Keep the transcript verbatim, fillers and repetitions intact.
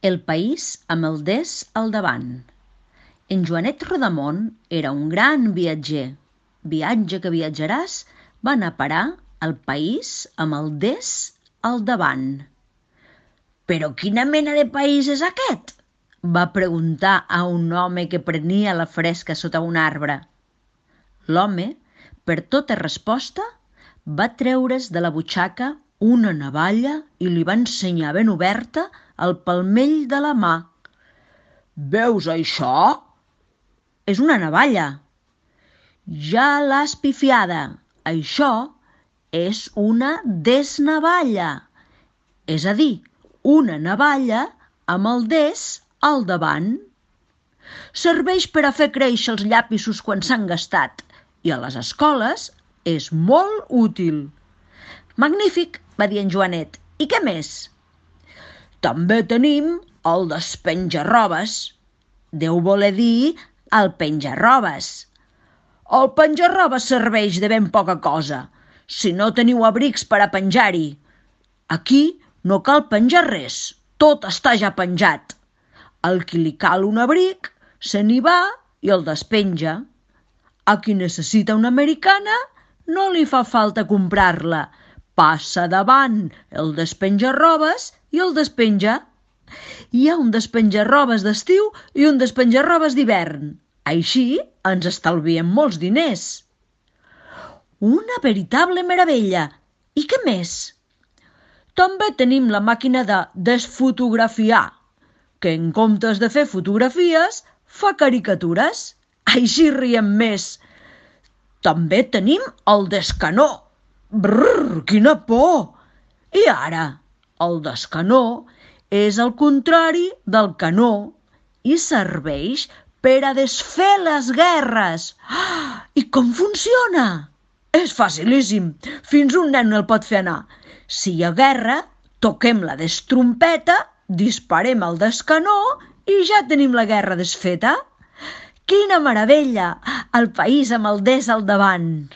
El país amb el des al davant. En Joanet Rodamón era un gran viatger. Viatge que viatjaràs va anar a parar al país amb el des al davant. «Però quina mena de país és aquest?», va preguntar a un home que prenia la fresca sota un arbre. L'home, per tota resposta, va treure's de la butxaca una navalla i li va ensenyar ben oberta el palmell de la mà. «Veus això?» «És una navalla». «Ja l'has pifiada. Això és una desnavalla, és a dir, una navalla amb el des al davant. Serveix per a fer créixer els llapisos quan s'han gastat i a les escoles és molt útil». «Magnífic», va dir en Joanet. «I què més?» «També tenim el despenjarrobes». Deu voler dir el penjarrobes. «El penjarrobes serveix de ben poca cosa, si no teniu abrics per a penjar-hi. Aquí no cal penjar res, tot està ja penjat. Al qui li cal un abric, se n'hi va i el despenja. A qui necessita una americana, no li fa falta comprar-la. Passa davant el despenjarrobes i el despenja. Hi ha un despenjarrobes d'estiu i un despenjarrobes d'hivern. Així ens estalviem molts diners». «Una veritable meravella! I què més?» «També tenim la màquina de desfotografiar, que en comptes de fer fotografies, fa caricatures. Així riem més. També tenim el descanó». «Brrr, quina por!» «I ara?» «El descanó és el contrari del canó i serveix per a desfer les guerres». «Ah, i com funciona?» «És facilíssim. Fins un nen el pot fer anar. Si hi ha guerra, toquem la destrompeta, disparem el descanó i ja tenim la guerra desfeta». «Quina meravella! El país amb el des al davant».